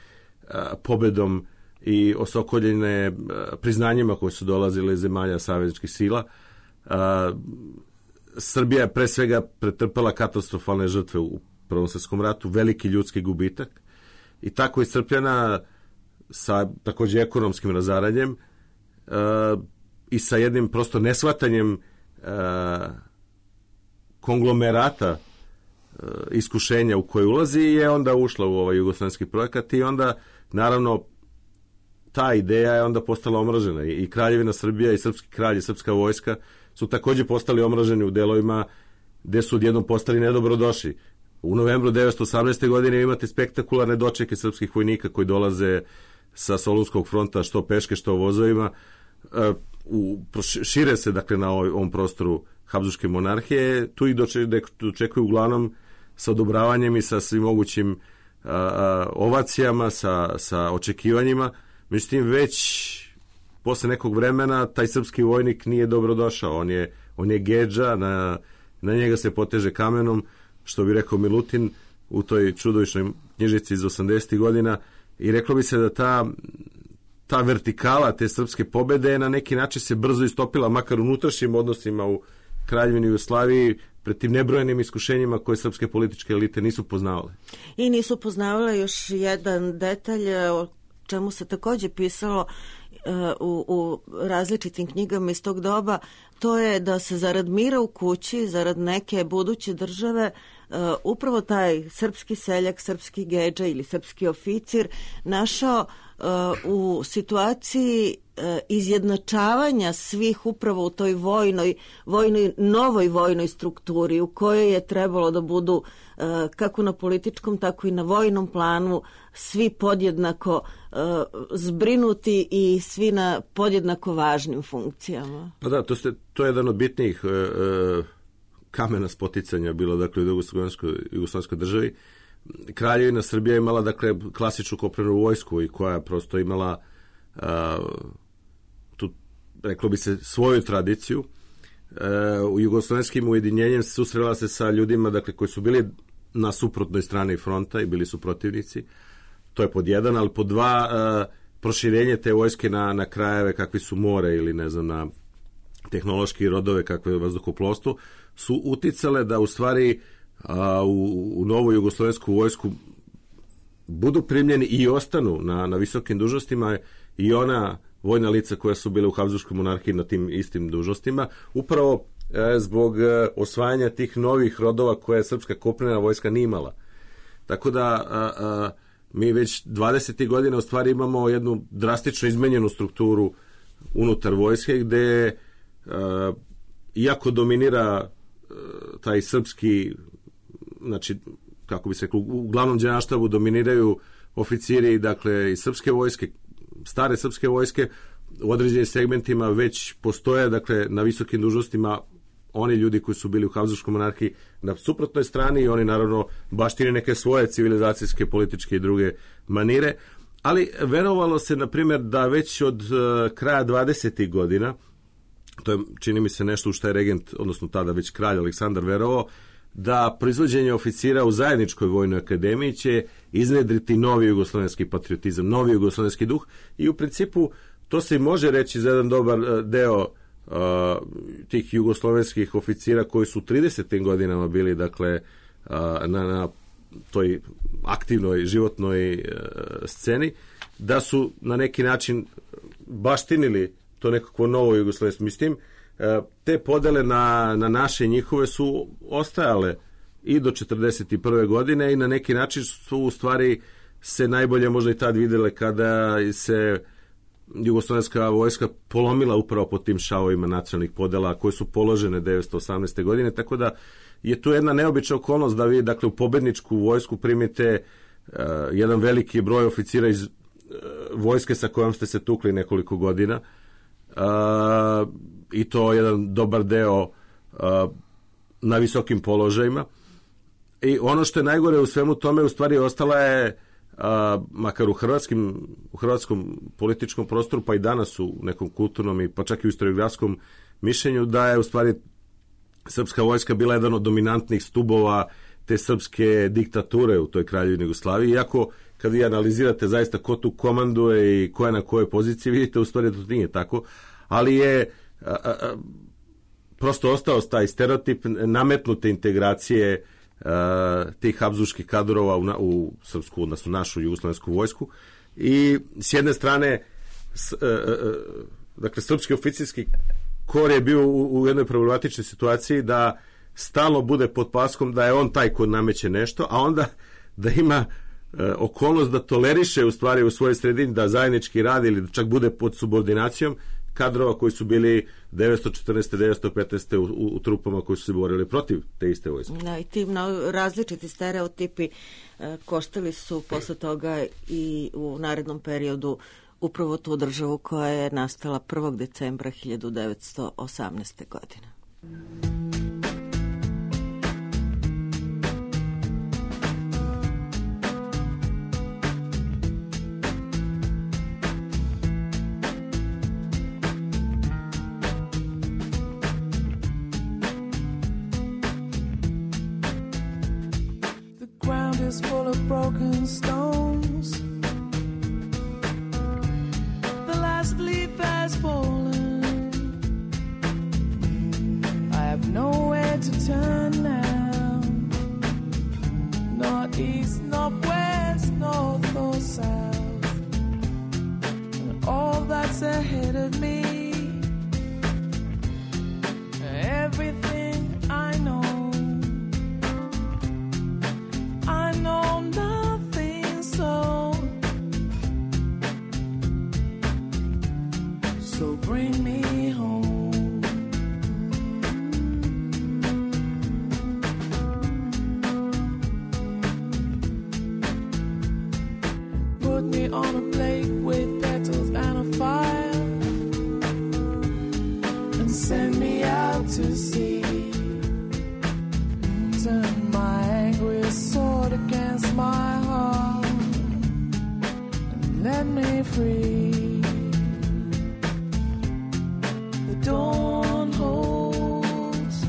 pobedom i osokoljene priznanjima koje su dolazile iz zemalja savezničkih sila. Srbija je pre svega pretrpela katastrofalne žrtve u Prvom svjetskom ratu, veliki ljudski gubitak, i tako iscrpljena sa takođe ekonomskim razaranjem i sa jednim prosto neshvatanjem konglomerata iskušenja u koje ulazi, je onda ušla u ovaj jugoslovenski projekat, i onda naravno ta ideja je onda postala omražena, i Kraljevina Srbija i srpski kralj i srpska vojska su takođe postali omraženi u delovima gde su odjednom postali nedobrodošli. U novembru 1918. godine imate spektakularne dočeke srpskih vojnika koji dolaze sa Solunskog fronta, što peške, što vozovima, šire se, dakle, na ovom prostoru Habsburške monarhije. Tu ih dočekuju uglavnom sa odobravanjem i sa svim mogućim ovacijama, sa očekivanjima. Međutim, već posle nekog vremena taj srpski vojnik nije dobrodošao. On je gedža, na njega se poteže kamenom, što bi rekao Milutin u toj čudovišnoj knjižici iz 80. godina, i reklo bi se da ta vertikala te srpske pobede na neki način se brzo istopila, makar u unutrašnjim odnosima u Kraljevini Jugoslaviji, pred tim nebrojenim iskušenjima koje srpske političke elite nisu poznavale. I nisu poznavale još jedan detalj o čemu se takođe pisalo u različitim knjigama iz tog doba, to je da se zarad mira u kući, zarad neke buduće države, upravo taj srpski seljak, srpski gedža ili srpski oficir našao u situaciji izjednačavanja svih upravo u toj novoj vojnoj strukturi u kojoj je trebalo da budu kako na političkom, tako i na vojnom planu svi podjednako zbrinuti i svi na podjednako važnim funkcijama. Pa da, to je jedan od bitnijih kamena spoticanja bilo, dakle, u jugoslovenskoj državi. Kraljevina Srbija imala, dakle, klasičnu kopnenu vojsku, i koja prosto imala tu, reklo bi se, svoju tradiciju. U jugoslovenskim ujedinjenjem susrela se sa ljudima, dakle, koji su bili na suprotnoj strani fronta i bili su protivnici. To je pod jedan, ali pod dva, proširenje te vojske na krajeve kakvi su more ili, ne znam, na tehnološki rodove kakve je vazduhoplovstvo, su uticale da u stvari u novu jugoslovensku vojsku budu primljeni i ostanu na visokim dužnostima i ona vojna lica koja su bile u Habsburškoj monarhiji na tim istim dužnostima, upravo zbog osvajanja tih novih rodova koje srpska kopnena vojska nije imala. Tako da mi već 20. godina u stvari imamo jednu drastično izmenjenu strukturu unutar vojske gde iako dominira taj srpski, znači kako bi se rekao, u glavnom đeneralštabu dominiraju oficiri, dakle, iz srpske vojske, stare srpske vojske, u određenim segmentima već postoje, dakle, na visokim dužnostima oni ljudi koji su bili u Habsburškoj monarhiji na suprotnoj strani i oni naravno baštine neke svoje civilizacijske, političke i druge manire, ali verovalo se, na primjer, da već od kraja 20. godina, to je, čini mi se, nešto u što je regent, odnosno tada već kralj Aleksandar verovao, da proizvođenje oficira u zajedničkoj vojnoj akademiji će iznedriti novi jugoslovenski patriotizam, novi jugoslovenski duh i u principu to se može reći za jedan dobar deo tih jugoslovenskih oficira koji su u 30. godinama bili, dakle, na toj aktivnoj životnoj sceni, da su na neki način baštinili to nekako novo jugoslovensko. Mislim, te podele na naše i njihove su ostajale i do 41. godine i na neki način su u stvari se najbolje možda i tad videle kada se jugoslovenska vojska polomila upravo po tim šavovima nacionalnih podela koje su položene 1918. godine, tako da je tu jedna neobična okolnost da vi, dakle, u pobedničku vojsku primite jedan veliki broj oficira iz vojske sa kojom ste se tukli nekoliko godina i to jedan dobar deo na visokim položajima. I ono što je najgore u svemu tome, u stvari ostala je, makar u hrvatskom političkom prostoru, pa i danas u nekom kulturnom i pa čak i u historiografskom mišljenju, da je u stvari srpska vojska bila jedan od dominantnih stubova te srpske diktature u toj kraljevini Jugoslaviji. Iako kad vi analizirate zaista ko tu komanduje i ko je na kojoj poziciji, vidite u stvari da to nije tako, ali je prosto ostao taj stereotip nametnute integracije tih habsburških kadrova u srpsku, odnosno našu jugoslovensku vojsku. I s jedne strane dakle, srpski oficirski kor je bio u jednoj problematičnoj situaciji da stalno bude pod paskom da je on taj ko nameće nešto, a onda da ima okolnost da toleriše u stvari u svojoj sredini da zajednički radi ili čak bude pod subordinacijom kadrova koji su bili 914. 915. u trupama koji su se borili protiv te iste vojske. Da, i ti različiti stereotipi koštali su posle toga i u narednom periodu upravo tu državu koja je nastala 1. decembra 1918. godine. Full of broken stones. The last leaf has fallen. I have nowhere to turn now. Not east, not west, north or south. And all that's ahead of me, everything I know. So bring me home. Put me on a plate with petals and a fire, and send me out to sea. Turn my angry sword against my heart, and let me free. Dawn holds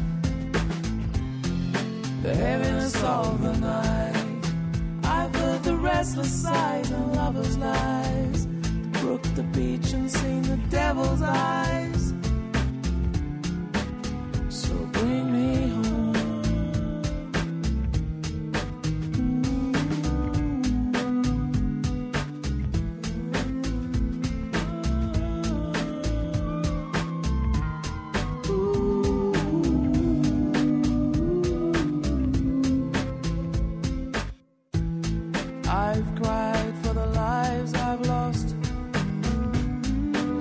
the heaviness of the night. I've heard the restless sighs and lovers' lies, the brook, the beach, and seen the devil's eyes. So bring me home. I've cried for the lives I've lost,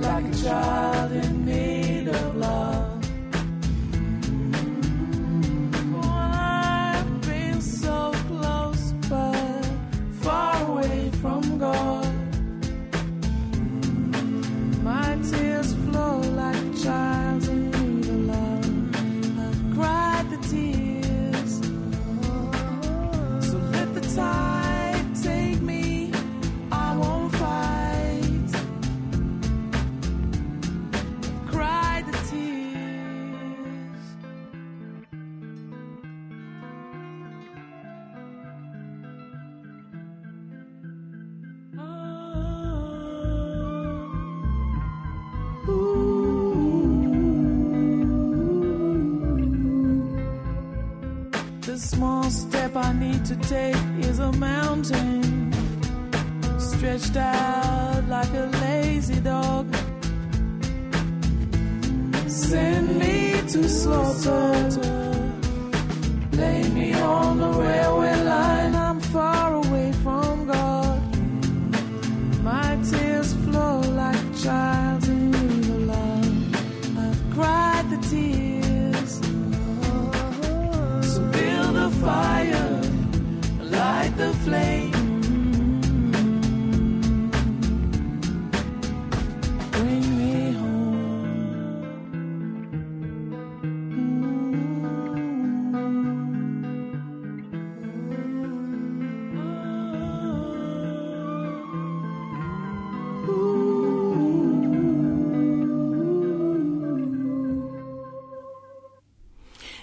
like a child in need of love. I've been so close but far away from God. My tears flow like a child's in need of love. I've cried the tears, so let the tide take me, I won't fight. I've cried the tears. The small step I need to take is a mountain, stretched out like a lazy dog. Send me to slaughter, lay me on the railway line. I'm far away from God. My tears flow like a child's in need of love. I've cried the tears, so build a fire, light the flame. Bring me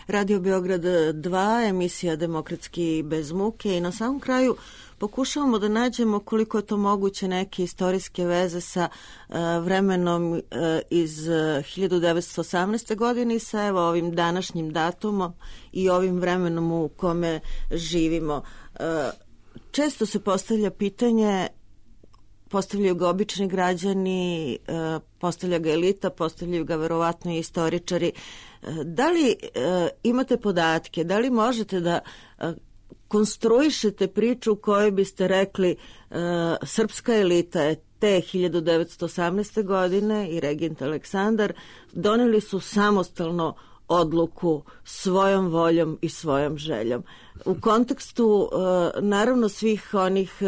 Radio Beograd 2, emisija Demokratski bez muke, i na samom kraju pokušavamo da nađemo koliko je to moguće neke istorijske veze sa vremenom iz 1918. godine i sa evo ovim današnjim datumom i ovim vremenom u kome živimo. Često se postavlja pitanje, postavljaju ga obični građani, postavlja ga elita, postavljaju ga verovatno i istoričari. Da li imate podatke, da li možete da konstruišete priču u kojoj biste rekli srpska elita je te 1918. godine i regent Aleksandar doneli su samostalno odluku svojom voljom i svojom željom. U kontekstu naravno svih onih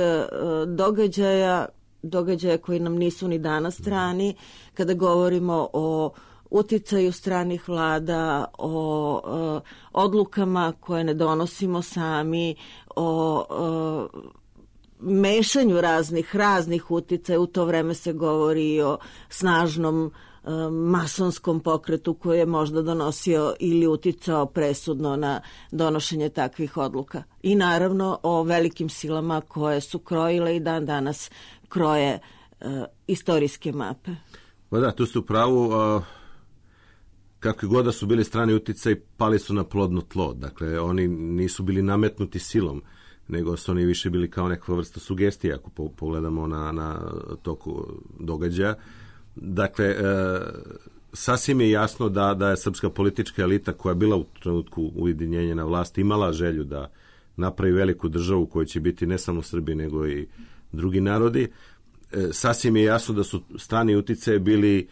događaja koji nam nisu ni danas strani, kada govorimo o uticaju stranih vlada, o odlukama koje ne donosimo sami, o mešanju raznih uticaja. U to vreme se govori o snažnom masonskom pokretu koji je možda donosio ili uticao presudno na donošenje takvih odluka. I naravno o velikim silama koje su krojile i dan danas kroje istorijske mape. Pa da, tu ste u pravu. Kakvi god da su bili strani uticaj, pali su na plodno tlo. Dakle, oni nisu bili nametnuti silom, nego su oni više bili kao neka vrsta sugestija, ako pogledamo na toku događaja. Dakle, sasvim je jasno da je srpska politička elita koja je bila u trenutku ujedinjenja na vlasti imala želju da napravi veliku državu koja će biti ne samo Srbi nego i drugi narodi. Sasvim je jasno da su strani uticaji bili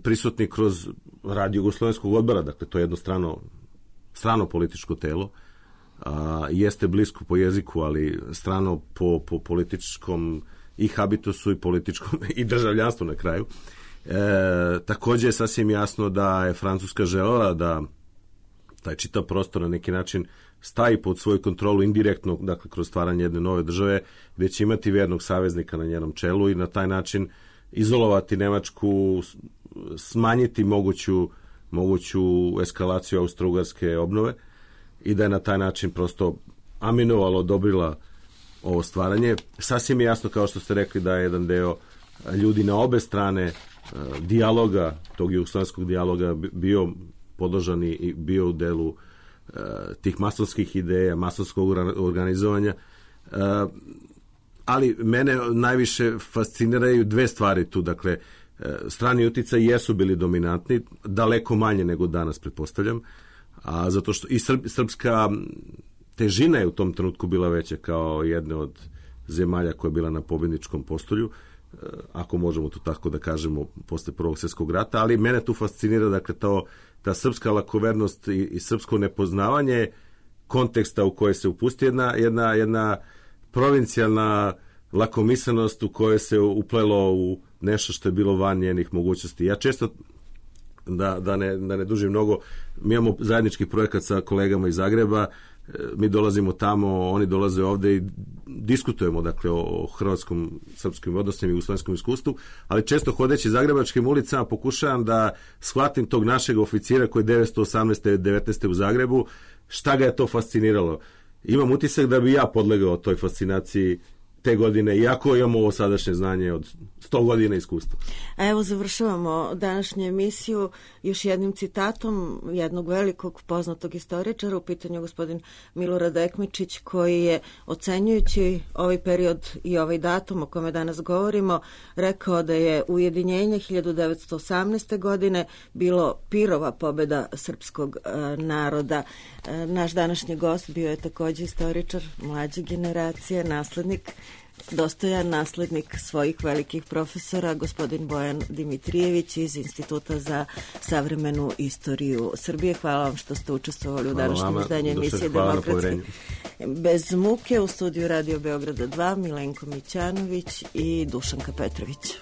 prisutni kroz rad Jugoslovenskog odbora, dakle to je jedno strano političko telo, jeste blisko po jeziku, ali strano po političkom i habitusu i političkom i državljanstvu na kraju. Također je sasvim jasno da je Francuska želela da taj čitav prostor na neki način stavi pod svoju kontrolu indirektno, dakle kroz stvaranje jedne nove države, gdje će imati vjernog saveznika na njenom čelu i na taj način izolovati Nemačku, smanjiti moguću eskalaciju austro-ugarske obnove i da je na taj način prosto aminovalo, odobrila ovo stvaranje. Sasvim je jasno, kao što ste rekli, da je jedan deo ljudi na obe strane dijaloga, tog jugoslovenskog dijaloga bio podložan i bio u delu tih masonskih ideja, masonskog organizovanja. Ali mene najviše fasciniraju dve stvari tu. Dakle, strani uticaji jesu bili dominantni, daleko manje nego danas, pretpostavljam, zato što i srpska težina je u tom trenutku bila veća kao jedne od zemalja koja je bila na pobjedničkom postolju, ako možemo to tako da kažemo, posle Prvog svjetskog rata, ali mene tu fascinira, dakle, ta srpska lakovernost i srpsko nepoznavanje konteksta u koje se upusti jedna provincijalna lakomislenost u kojoj se uplelo u nešto što je bilo van njenih mogućnosti. Ja često, da ne dužim mnogo, mi imamo zajednički projekat sa kolegama iz Zagreba, mi dolazimo tamo, oni dolaze ovde i diskutujemo, dakle, o hrvatskom, srpskim odnosima i jugoslovenskom iskustvu, ali često hodeći zagrebačkim ulicama pokušavam da shvatim tog našeg oficira koji je 1918. 19. u Zagrebu, šta ga je to fasciniralo. Imam utisak da bi ja podlegao toj fascinaciji te godine, iako imamo ovo sadašnje znanje od 100 godina iskustva. A evo završavamo današnju emisiju još jednim citatom jednog velikog poznatog istoričara, u pitanju gospodin Milorad Ekmečić, koji je, ocenjujući ovaj period i ovaj datum o kome danas govorimo, rekao da je ujedinjenje 1918. godine bilo pirova pobjeda srpskog naroda. Naš današnji gost bio je također istoričar mlađe generacije, naslednik, dostojan naslednik svojih velikih profesora, gospodin Bojan Dimitrijević iz Instituta za savremenu istoriju Srbije. Hvala vam što ste učestvovali u današnjem izdanju emisije Demokratski bez muke. U studiju Radio Beograda 2 Milenko Mićanović i Dušanka Petrović.